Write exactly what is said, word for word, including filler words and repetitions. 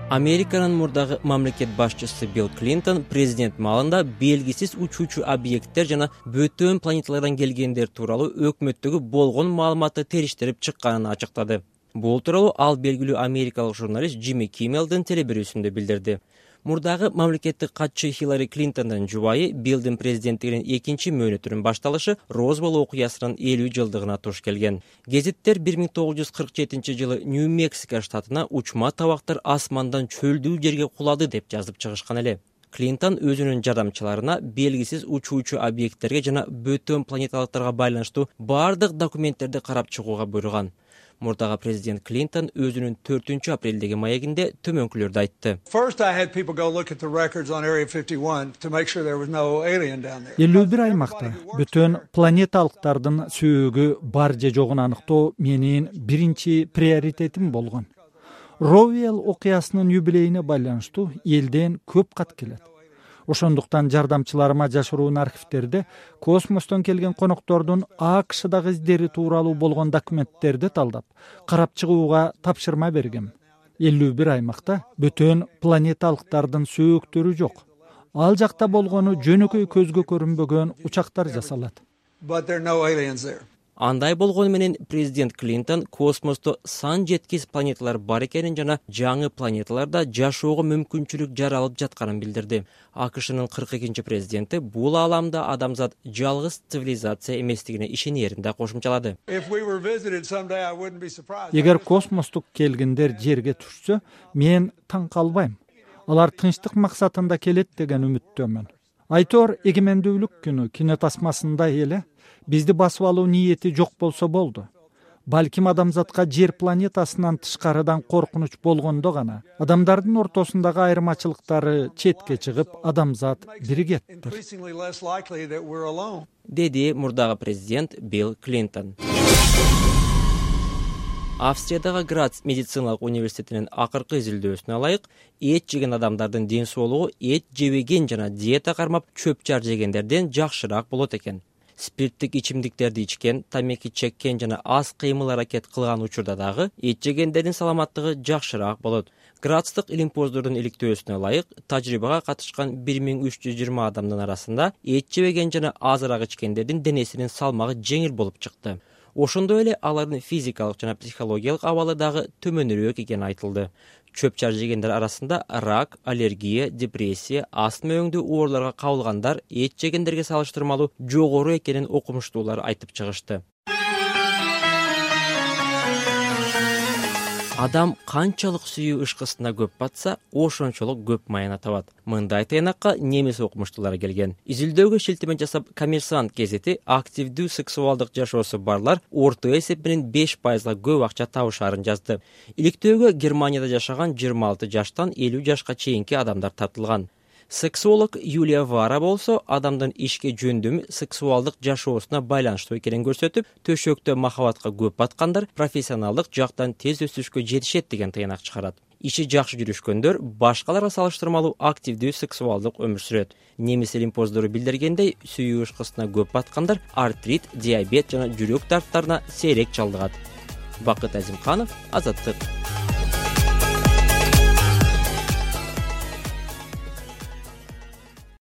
Американын мурдагы мамлекет башчысы Билл Клинтон президент маалында белгисиз учуучу объекттер жана бөтөн планеталардан келгендер тууралуу өкмөттөгү болгон маалыматты териштирип чыкканын ачыктады. Бул тууралуу ал белгилүү америкалык журналист Джимми Киммелдин телебирүүсүндө билдирди. Мурдагы мамлекеттик катчы Хиллари Клинтондун жубайы Биллдин президенттигинин экинчи мөөнөтүнүн башталышы Розбол окуясынын элүү жылдыгына туш келген. Гезиттер бир миң тогуз жүз кырк жетинчи жылы Нью-Мексико штатына учма табактар асмандан чөлдүү жерге кулады деп жазып чыгышкан эле. Клинтон өзүнүн жардамчыларына белгисиз учуучу объекттерге жана бөтөн планеталыктарга байланыштуу бардык документтерди карап чыгууга буйруган. Мурдагы президент Клинтон өзүнүн төртүнчү апрелдеги маегинде төмөнкүлөрдү айтты. элүү бир аймакта бөтөн планеталыктардын сөөгү бар же жогун аныктоо менин биринчи приоритетим болгон. Роуэлл окуясынын юбилейине байланыштуу элден көп кат келет. Ошондуктан жардамчыларыма жашыруун архивтерде космостон келген коноктордун АКШдагы издери тууралуу болгон документтерди талдап, карап чыгууга тапшырма бергем. элүү бир аймакта бөтөн планеталыктардын сөөктөрү жок. Ал жакта болгону жөнөкөй көзгө көрүнбөгөн учактар жасалат. Андай болгону менен президент Клинтон космосто сан жеткис планеталар бар экенин жана жаңы планеталарда жашоого мүмкүнчүлүк жаралып жатканын билдирди. АКШнын кырк экинчи президенти бул ааламда адамзат жалгыз цивилизация эместигине ишенерин да кошумчалады. Эгер космостук келгиндер жерге түшсө, мен таң калбайм. Алар тынчтык максатында келет деген үмүттөмүн. Айтор эгемендүүлүк күнү кинотасмасында эле бизди басып алуу ниети жок болсо болду. Балким адамзатка жер планетасынан тышкарыдан коркунуч болгондо гана адамдардын ортосундагы айырмачылыктары четке чыгып, адамзат биригеттир, деди мурдагы президент Билл Клинтон. Австриядагы Грац медициналык университетинин акыркы изилдөөсүнө ылайык, эт жеген адамдардын ден соолугу эт жебеген жана диета кармап чөп жар жегендерден жакшыраак болот экен. Спирттик ичимдиктерди ичкен, тамеки чеккен жана аз кыймыл аракет кылган учурда дагы эт жегендердин саламаттыгы жакшыраак болот. Грацтык илимпоздордун иликтөөсүнө ылайык, тажрыйбага катышкан бир миң үч жүз жыйырма адамдын арасында эт жебеген жана азыраак ичкендердин денесинин салмагы жеңил болуп чыкты. Ошондой эле алардын физикалык жана психологиялык абалы дагы төмөнүрөөк экени айтылды. Чөп жар жегендер арасында рак, аллергия, депрессия, астма өңдүү ооруларга кабылгандар эт жегендерге салыштырмалуу жогору экенин окумуштуулар айтып чыгышты. Адам канчалык сүйүү ышкысына көп батса, ошончолук көп майына табат. Мындай тыйнакка немис окумуштуулары келген. Изилдөөгө шилтеме жасап, Коммерсант газети активдүү сексуалдык жашоосу барлар орто эсеп менен беш пайызга көп акча табышаарын жазды. Иликтөөгө Германияда жашаган жыйырма алты жаштан элүү жашка чейинки адамдар тартылган. Сексолог Юлия Вара болсо адамдын ишке жөндөмү сексуалдык жашоосуна байланыштуу экенин көрсөтүп, төшөктө махабатка көп баткандар профессионалдык жактан тез өсүшкө жетишет деген тыйнак чыгарат. Иши жакшы жүрүшкөндөр башкаларга салыштырмалуу активдүү сексуалдык өмүр сүрөт. Немис илимпоздору билдиргендей, сүйүү ышкысына көп баткандар артрит, диабет жана жүрөк дарттарына сейрек чалдыгат. Бакыт Азимканов, Азаттык.